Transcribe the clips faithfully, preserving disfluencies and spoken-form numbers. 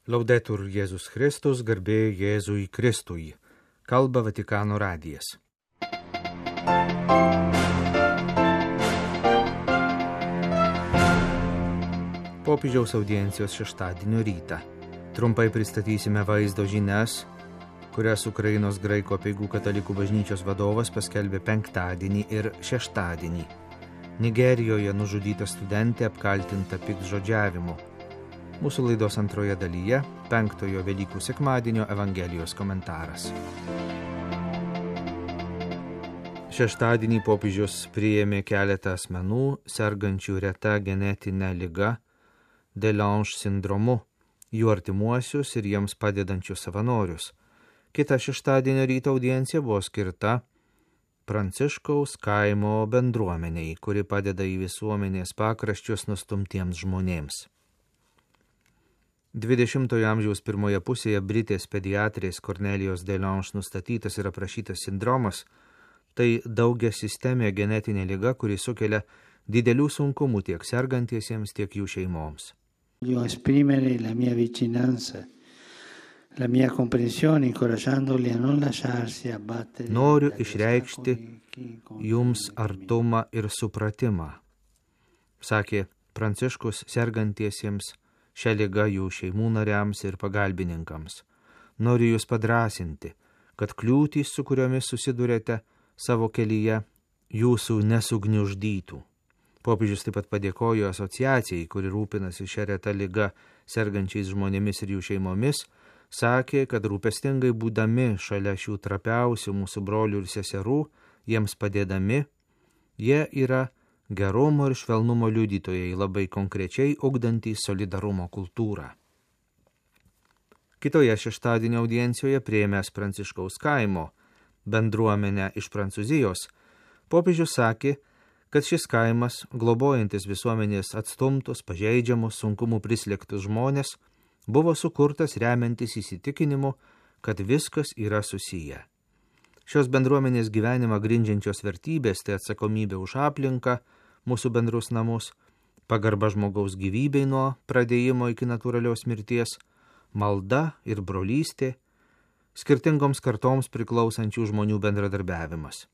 Laudetur Jėzus Kristus, garbė Jėzui Kristui. Kalba Vatikano radijas. Popiežiaus audiencijos šeštadienio rytą. Trumpai pristatysime vaizdo žinias, kurias Ukrainos graikų apeigų katalikų bažnyčios vadovas paskelbė penktadienį ir šeštadienį. Nigerijoje nužudyta studentė apkaltinta piktžodžiavimu. Mūsų laidos antroje dalyje penktojo Velykų sekmadienio Evangelijos komentaras. Šeštadienį popiežius priėmė keletą asmenų sergančių reta genetinė liga Delange sindromu, jų artimuosius ir jiems padedančius savanorius. Kita šeštadienio ryto audiencija buvo skirta Pranciškaus kaimo bendruomeniai, kuri padeda į visuomenės pakraščius nustumtiems žmonėms. dvidešimtojo amžiaus pirmoje pusėje Britės pediatrės Kornelijos Delange nustatytas ir aprašytas sindromas – tai daugia sistemė genetinė liga, kuri sukelia didelių sunkumų tiek sergantiesiems, tiek jų šeimoms. Voglio esprimere la mia vicinanza, la mia comprensione, incoraggiandoli a non lasciarsi abbattere. Noriu išreikšti jums artumą ir supratimą, sakė Pranciškus sergantiesiems, šią ligą jų šeimų nariams ir pagalbininkams. Noriu jūs padrasinti, kad kliūtys, su kuriomis susidurėte savo kelyje, jūsų nesugniuždytų. Popiežius taip pat padėkojo asociacijai, kuri rūpinasi šią retą ligą sergančiais žmonėmis ir jų šeimomis, sakė, kad rūpestingai būdami šalia šių trapiausių mūsų brolių ir seserų, jiems padėdami, jie yra gerumo ir švelnumo liudytojai, labai konkrečiai ugdantys solidarumo kultūrą. Kitoje šeštadienio audiencijoje priėmęs Pranciškaus kaimo bendruomenę iš Prancūzijos, popiežius sakė, kad šis kaimas, globojantis visuomenės atstumtus, pažeidžiamus, sunkumų prislėgtus žmonės, buvo sukurtas remiantis įsitikinimu, kad viskas yra susiję. Šios bendruomenės gyvenimą grindžiančios vertybės tai atsakomybė už aplinką, mūsų bendrus namus, pagarba žmogaus gyvybei nuo pradėjimo iki natūralios mirties, malda ir brolystė, skirtingoms kartoms priklausančių žmonių bendradarbiavimas.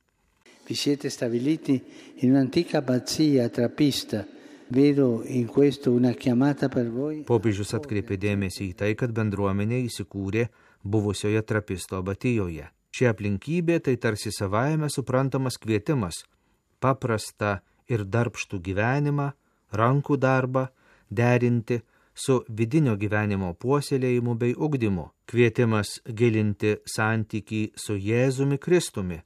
Vi siete stabiliti in un'antica abbazia trappista. Vedo in questo una chiamata per voi. Popiežius atkreipė dėmesį į tai, kad bendruomenė įsikūrė buvusioje trapisto abatijoje. Ši aplinkybė tai tarsi savaime suprantamas kvietimas paprastą ir darbštų gyvenimą, rankų darbą derinti su vidinio gyvenimo puoselėjimu bei ugdymu. Kvietimas gilinti santykį su Jėzumi Kristumi,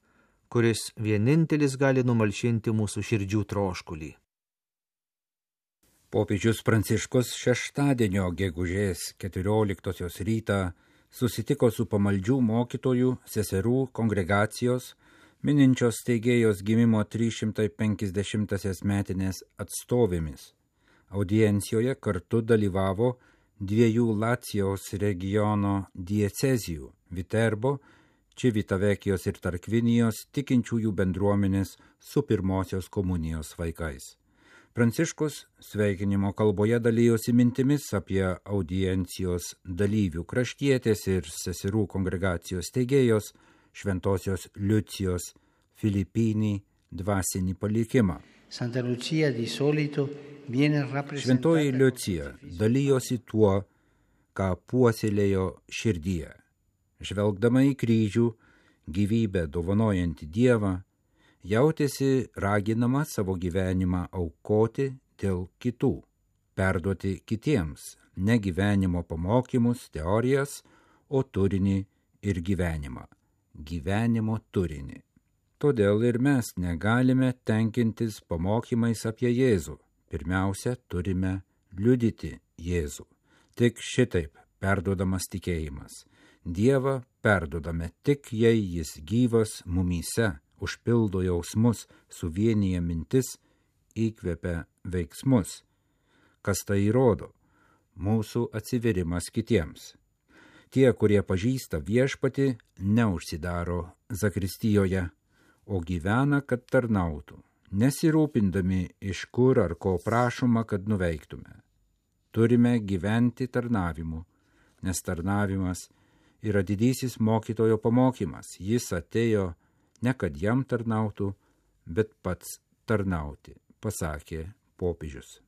kuris vienintelis gali numalšinti mūsų širdžių troškulį. Popiežius Pranciškus šeštadienio gegužės keturioliktosios rytą susitiko su pamaldžių mokytojų, seserų kongregacijos, mininčios steigėjos gimimo trys šimtai penkiasdešimtąsias metinės atstovėmis. Audiencijoje kartu dalyvavo dviejų Lacijos regiono diecezijų – Viterbo, Čivitavekijos ir Tarkvinijos tikinčiųjų bendruomenės su pirmosios komunijos vaikais. Pranciškus sveikinimo kalboje dalijosi mintimis apie audiencijos dalyvių kraštietės ir seserų kongregacijos steigėjos Šventosios Liucijos Filipinį dvasinį palikimą. Šventoji Liucija dalijosi tuo, ką puoselėjo širdyje. Žvelgdama į kryžių, gyvybę dovanojantį Dievą, jautėsi raginama savo gyvenimą aukoti dėl kitų, perduoti kitiems ne gyvenimo pamokymus, teorijas, o turinį ir gyvenimą. Gyvenimo turinį. Todėl ir mes negalime tenkintis pamokymais apie Jėzų. Pirmiausia, turime liudyti Jėzų. Tik šitaip perduodamas tikėjimas. Dievą perduodame tik, jei jis gyvas mumyse, užpildo jausmus, suvienyje mintis, įkvepia veiksmus. Kas tai įrodo? Mūsų atsiverimas kitiems. Tie, kurie pažįsta viešpatį, neužsidaro zakristijoje, o gyvena, kad tarnautų, nesirūpindami iš kur ar ko prašoma, kad nuveiktume. Turime gyventi tarnavimu, nes tarnavimas yra didysis mokytojo pamokymas. Jis atėjo ne kad jam tarnautų, bet pats tarnauti, pasakė popiežius.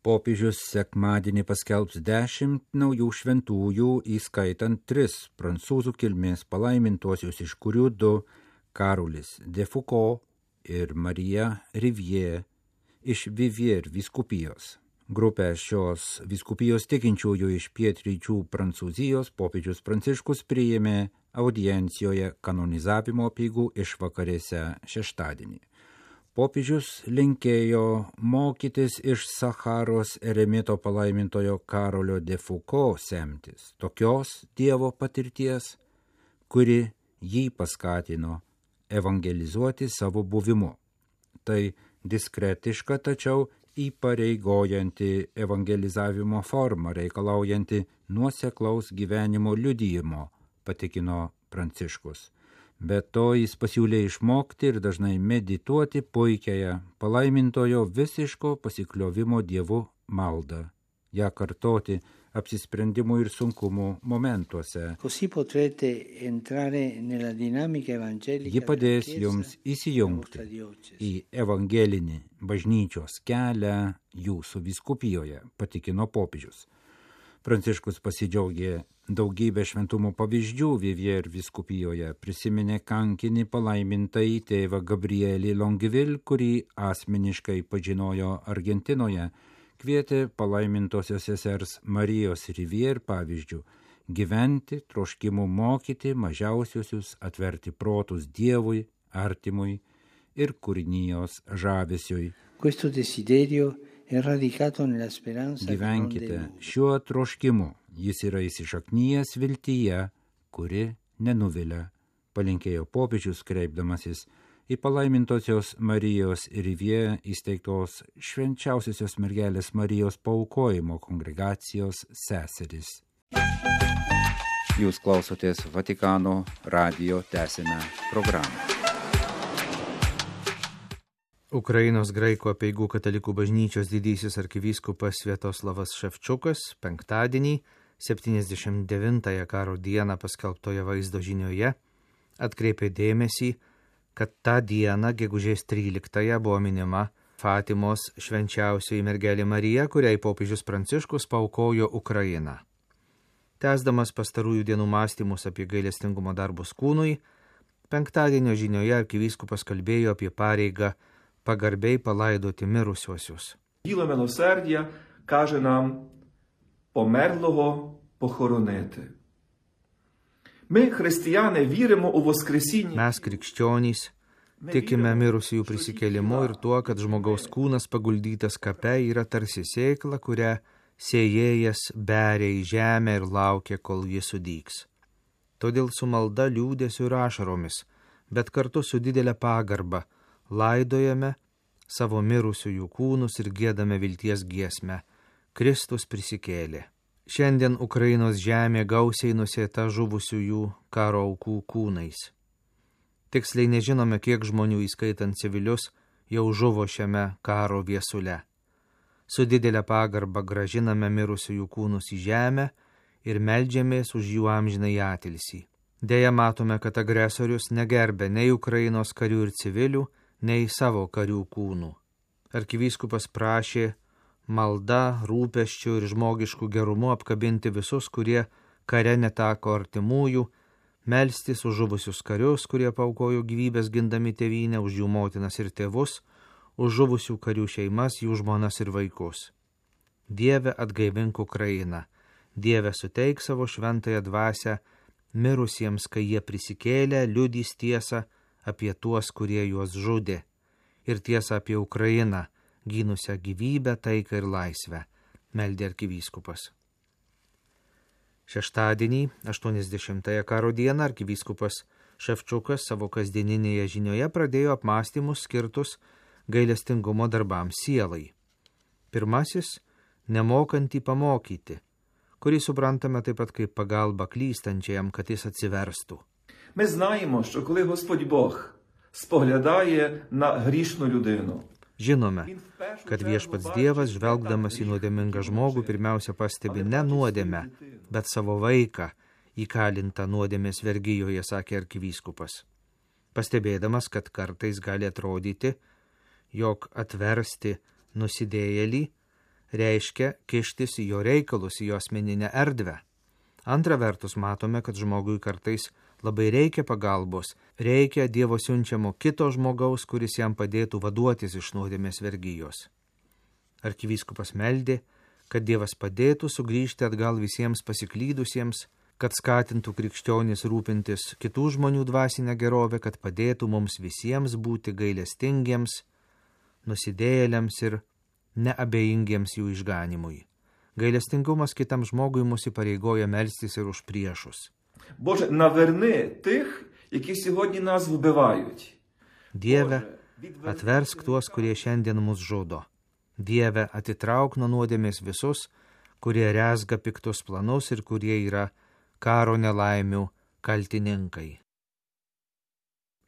Popiežius sekmadienį paskelbs dešimt naujų šventųjų, įskaitant tris prancūzų kilmės palaimintuosius, iš kurių du Karolis de Foucault ir Marija Rivière iš Vivier vyskupijos. Grupę šios vyskupijos tikinčiųjų iš pietryčių Prancūzijos popiežius Pranciškus priėmė audiencijoje kanonizavimo apeigų išvakarėse šeštadienį. Popiežius linkėjo mokytis iš Sacharos eremito palaimintojo Karolio de Foucault semtis, tokios Dievo patirties, kuri jį paskatino evangelizuoti savo buvimu. Tai diskretiška, tačiau įpareigojanti evangelizavimo forma, reikalaujanti nuoseklaus gyvenimo liudijimo, patikino Pranciškus. Be to jis pasiūlė išmokti ir dažnai medituoti puikiąją palaimintojo visiško pasikliovimo Dievu maldą, ją kartoti apsisprendimų ir sunkumų momentuose. Ji padės jums įsijungti į evangelinį bažnyčios kelią jūsų vyskupijoje, patikino popiežius. Pranciškus pasidžiaugė daugybę šventumo pavyzdžių Vivier vyskupijoje, prisiminė kankinį palaimintąjį tėvą Gabrielį Longueville, kurį asmeniškai pažinojo Argentinoje, kvietė palaimintosios sesers Marijos Rivière pavyzdžių gyventi, troškimu mokyti mažiausiusius, atverti protus Dievui, artimui ir kūrinijos žavesiui. Questo desiderio è radicato nella speranza. Gyvenkite šiuo troškimu, jis yra įsišaknyjęs viltyje, kuri nenuvilia, palinkėjo popiežius kreipdamasis į palaimintosios Marijos Rivière įsteigtos švenčiausiosios mergelės Marijos paaukojimo kongregacijos seseris. Jūs klausotės Vatikano radijo, tęsime programą. Ukrainos graikų apeigų katalikų bažnyčios didysis arkivyskupas Sviatoslavas Ševčiukas penktadienį, septyniasdešimt devintąją karo dieną paskelbtoje vaizdo žinioje, atkreipė dėmesį, kad tą dieną, gegužės tryliktąją, buvo minima Fatimos švenčiausioji mergelė Marija, kuriai popiežius Pranciškus paaukojo Ukrainą. Tęsdamas pastarųjų dienų mąstymus apie gailestingumo darbus kūnui, penktadienio žinioje arkivyskupas kalbėjo apie pareigą pagarbiai palaidoti mirusiuosius. Діло милосердя каже нам померлого похоронити. Ми, християни, віримо у воскресіння. Mes, krikščionys, tikime mirusiųjų prisikėlimu ir tuo, kad žmogaus kūnas paguldytas kape yra tarsi sėkla, kurią sėjėjas beria į žemę ir laukia, kol ji sudygs. Todėl su malda, liūdesiu ir ašaromis, bet kartu su didelė pagarba, laidojame savo mirusiųjų kūnus ir giedame vilties giesmę. Kristus prisikėlė. Šiandien Ukrainos žemė gausiai nusėta žuvusiųjų karo aukų kūnais. Tiksliai nežinome, kiek žmonių, įskaitant civilius, jau žuvo šiame karo viesule. Su didelė pagarba gražiname mirusiųjų kūnus į žemę ir meldžiamės už jų amžinąjį atilsį. Deja, matome, kad agresorius negerbė nei Ukrainos karių ir civilių, nei savo karių kūnų. Arkivyskupas prašė malda, rūpesčių ir žmogiškų gerumu apkabinti visus, kurie kare neteko artimųjų, melstis už žuvusius karius, kurie paaukojo gyvybės gindami tėvynę, už jų motinas ir tėvus, už žuvusių karių šeimas, jų žmonas ir vaikus. Dieve, atgaivink Ukrainą. Dieve, suteik savo šventąją dvasią mirusiems, kai jie prisikėlę, liudys tiesą apie tuos, kurie juos žudė, ir tiesą apie Ukrainą, gynusią gyvybę, taiką ir laisvę, meldė arkivyskupas. Šeštadienį, aštuoniasdešimtąją karo dieną, arkivyskupas Ševčiukas savo kasdieninėje žinioje pradėjo apmąstymus skirtus gailestingumo darbams sielai. Pirmasis – nemokantį pamokyti, kurį suprantame taip pat kaip pagalba klystančiajam, kad jis atsiverstų. Ми знаємо, що коли Господь Бог споглядає на грішну людину, Žinome, kad viešpats Dievas, žvelgdamas į nuodėmingą žmogų, pirmiausia pastebi ne nuodėmę, bet savo vaiką, įkalintą nuodėmės vergijoje, sakė arkivyskupas. Pastebėdamas, kad kartais gali atrodyti, jog atversti nusidėjėlį reiškia kištis į jo reikalus, į jo asmeninę erdvę. Antra vertus, matome, kad žmogui kartais labai reikia pagalbos, reikia Dievo siunčiamo kito žmogaus, kuris jam padėtų vaduotis iš nuodėmės vergijos. Arkivyskupas meldė, kad Dievas padėtų sugrįžti atgal visiems pasiklydusiems, kad skatintų krikščionis rūpintis kitų žmonių dvasinę gerovę, kad padėtų mums visiems būti gailestingiems, nusidėjėliams ir neabejingiems jų išganimui. Gailestingumas kitam žmogui mus įpareigoja melstis ir už priešus. Боже, наверни тих, які сьогодні нас вбивають. Dieve, atversk tuos, kurie šiandien mus žudo. Dieve, atitrauk nuo nuodėmės visus, kurie rezga piktus planus ir kurie yra karo nelaimių kaltininkai.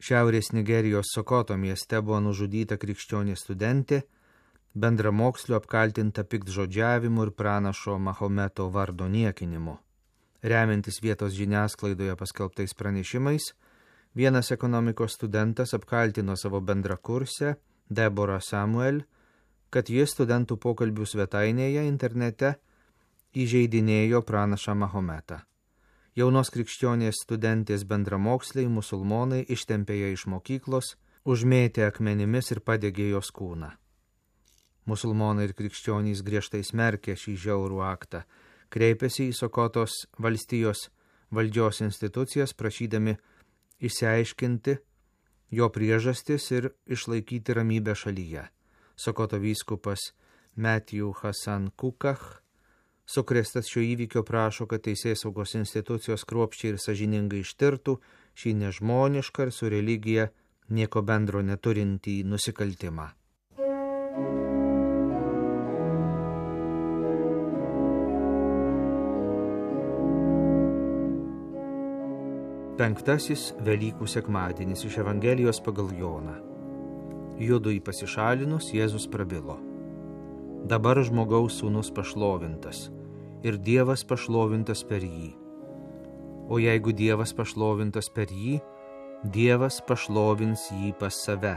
Šiaurės Nigerijos Sokoto mieste buvo nužudyta krikščionė studentė, bendramokslio apkaltinta piktžodžiavimu ir pranašo Mahometo vardo niekinimu. Remiantis vietos žiniasklaidoje paskelbtais pranešimais, vienas ekonomikos studentas apkaltino savo bendrakursę, Deborah Samuel, kad jis studentų pokalbių svetainėje internete įžeidinėjo pranašą Mahometą. Jaunos krikščionės studentės bendramoksliai musulmonai ištempė ją iš mokyklos, užmėtė akmenimis ir padegė jos kūną. Musulmonai ir krikščionys griežtai smerkė šį žiaurų aktą, kreipėsi į Sokotos valstijos valdžios institucijas, prašydami išsiaiškinti jo priežastis ir išlaikyti ramybę šalyje. Sokoto vyskupas Matthew Hassan Kukach, sukrėstas šio įvykio, prašo, kad teisėsaugos institucijos kruopščiai ir sąžiningai ištirtų šį nežmonišką ir su religija nieko bendro neturintį nusikaltimą. Penktasis Velykų sekmadienis iš Evangelijos pagal Joną. Judui pasišalinus, Jėzus prabilo. Dabar žmogaus sūnus pašlovintas ir Dievas pašlovintas per jį. O jeigu Dievas pašlovintas per jį, Dievas pašlovins jį pas save,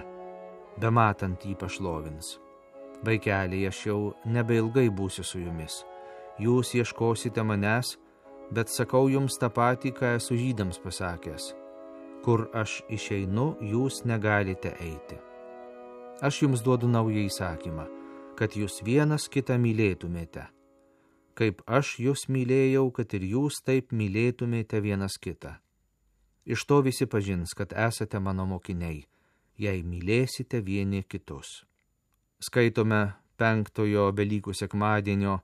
bematant jį pašlovins. Vaikeliai, aš jau nebeilgai būsiu su jumis. Jūs ieškosite manęs, bet sakau jums tą patį, ką esu žydams pasakęs. Kur aš išeinu, jūs negalite eiti. Aš jums duodu naują įsakymą, kad jūs vienas kitą mylėtumėte. Kaip aš jūs mylėjau, kad ir jūs taip mylėtumėte vienas kitą. Iš to visi pažins, kad esate mano mokiniai, jei mylėsite vieni kitus. Skaitome penktojo Velykų sekmadienio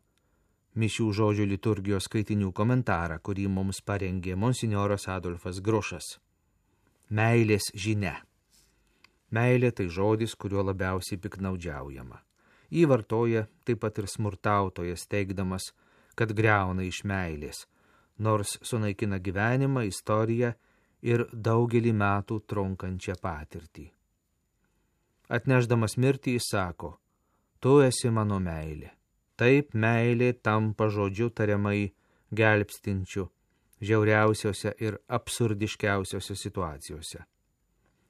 mišių žodžių liturgijos skaitinių komentarą, kurį mums parengė monsinjoras Adolfas Grušas. Meilės žinia. Meilė tai žodis, kuriuo labiausiai piknaudžiaujama. Jį vartoja taip pat ir smurtautojas, teigdamas, kad griauna iš meilės, nors sunaikina gyvenimą, istoriją ir daugelį metų trunkančią patirtį. Atnešdamas mirtį jis sako, tu esi mano meilė. Taip meilė tampa žodžiu tariamai gelbstinčiu žiauriausiose ir absurdiškiausiose situacijose.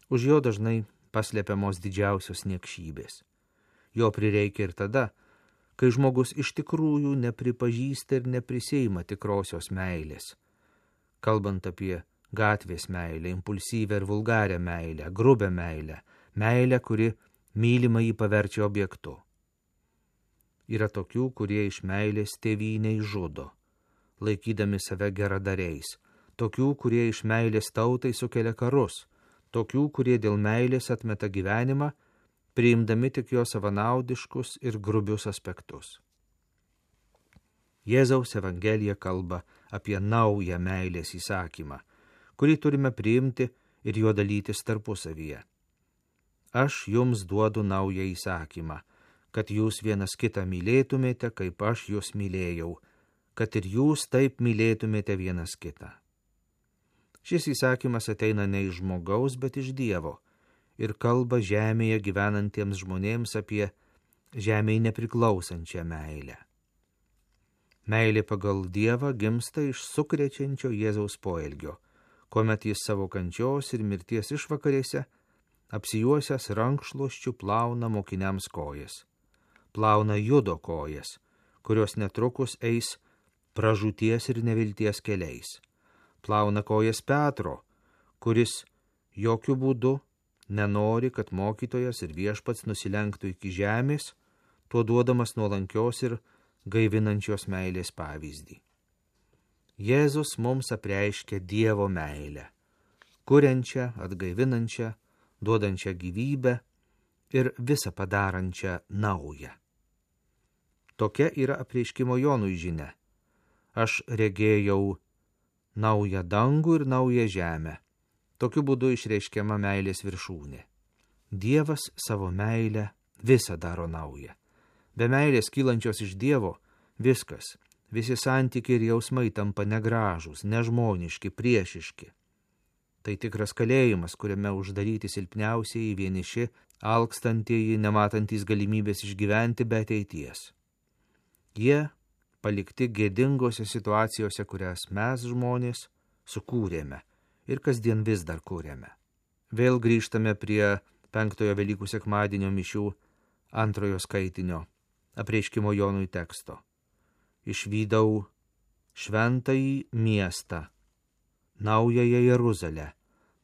Už jo dažnai paslepiamos didžiausios niekšybės. Jo prireikia ir tada, kai žmogus iš tikrųjų nepripažįsta ir nepriseima tikrosios meilės. Kalbant apie gatvės meilę, impulsyvę ir vulgarią meilę, grubę meilę, meilę, kuri mylimą jį paverčia objektu. Yra tokių, kurie iš meilės tėvynei žudo, laikydami save geradariais, tokių, kurie iš meilės tautai sukelia karus, tokių, kurie dėl meilės atmeta gyvenimą, priimdami tik jo savanaudiškus ir grubius aspektus. Jėzaus Evangelija kalba apie naują meilės įsakymą, kurį turime priimti ir juo dalytis tarpusavyje. Aš jums duodu naują įsakymą, kad jūs vienas kitą mylėtumėte, kaip aš jūs mylėjau, kad ir jūs taip mylėtumėte vienas kitą. Šis įsakymas ateina ne iš žmogaus, bet iš Dievo, ir kalba žemėje gyvenantiems žmonėms apie žemėje nepriklausančią meilę. Meilė pagal Dievą gimsta iš sukrečiančio Jėzaus poelgio, kuomet jis savo kančios ir mirties išvakarėse apsijuosęs rankšluosčiu plauna mokiniams kojas. Plauna Judo kojas, kurios netrukus eis pražūties ir nevilties keliais. Plauna kojas Petro, kuris jokių būdų nenori, kad mokytojas ir viešpats nusilenktų iki žemės, tuo duodamas nuolankios ir gaivinančios meilės pavyzdį. Jėzus mums apreiškia Dievo meilę, kuriančią, atgaivinančią, duodančią gyvybę ir visą padarančią naują. Tokia yra apreiškimo Jonui žinia. Aš regėjau naują dangų ir naują žemę. Tokiu būdu išreiškiama meilės viršūnė. Dievas savo meilę visą daro naują. Be meilės kylančios iš Dievo viskas, visi santykiai ir jausmai tampa negražūs, nežmoniški, priešiški. Tai tikras kalėjimas, kuriame uždaryti silpniausieji, vieniši, alkstantieji, nematantys galimybės išgyventi be ateities. Jie palikti gėdingose situacijose, kurias mes žmonės sukūrėme ir kasdien vis dar kūrėme. Vėl grįžtame prie penktojo Velykų sekmadienio mišių antrojo skaitinio apreiškimo Jonui teksto. Išvydau šventąjį miestą, naująją Jeruzalę,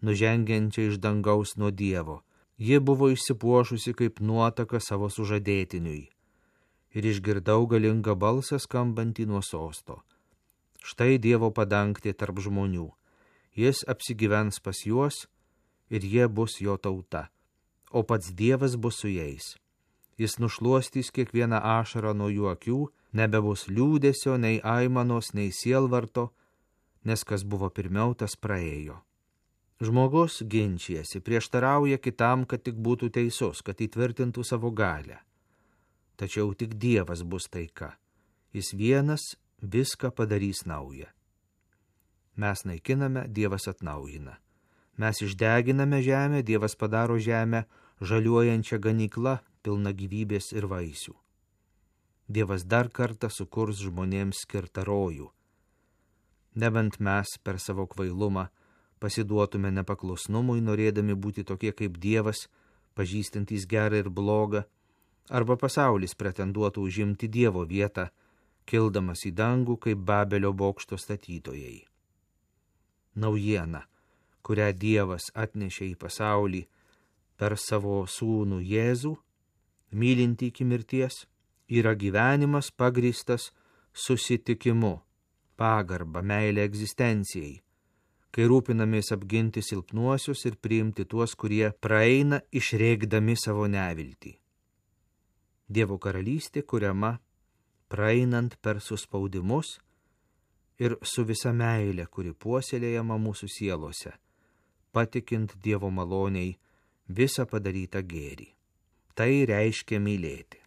nužengiančią iš dangaus nuo Dievo. Ji buvo išsipuošusi kaip nuotaka savo sužadėtiniui. Ir išgirdau galingą balsą skambantį nuo sosto. Štai Dievo padangtė tarp žmonių. Jis apsigyvens pas juos ir jie bus jo tauta, o pats Dievas bus su jais. Jis nušluostys kiekvieną ašarą nuo jų akių, nebebus liūdesio, nei aimanos, nei sielvarto, nes kas buvo pirmiau, tas praėjo. Žmogus ginčijasi, prieštarauja kitam, kad tik būtų teisus, kad įtvirtintų savo galią. Tačiau tik Dievas bus taika. Jis vienas viską padarys naują. Mes naikiname, Dievas atnaujina. Mes išdeginame žemę, Dievas padaro žemę žaliuojančią ganyklą, pilna gyvybės ir vaisių. Dievas dar kartą sukurs žmonėms skirtą rojų. Nebent mes per savo kvailumą pasiduotume nepaklusnumui, norėdami būti tokie kaip Dievas, pažįstantys gerą ir blogą, arba pasaulis pretenduotų užimti Dievo vietą, kildamas į dangų kaip Babelio bokšto statytojai. Naujiena, kurią Dievas atnešė į pasaulį per savo sūnų Jėzų, mylinti iki mirties, yra gyvenimas pagrįstas susitikimu, pagarba, meilė egzistencijai, kai rūpinamės apginti silpnuosius ir priimti tuos, kurie praeina išreikdami savo neviltį. Dievo karalystė kuriama praeinant per suspaudimus ir su visa meilė, kuri puoselėjama mūsų sielose, patikint Dievo maloniai visą padarytą gėrį. Tai reiškia mylėti.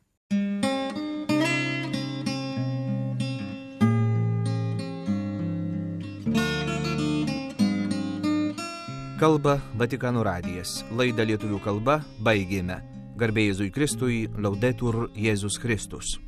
Kalba Vatikano radijas. Laidą lietuvių kalba baigėme. Garbė Jėzui Kristui, Laudetur Jėzus Kristus.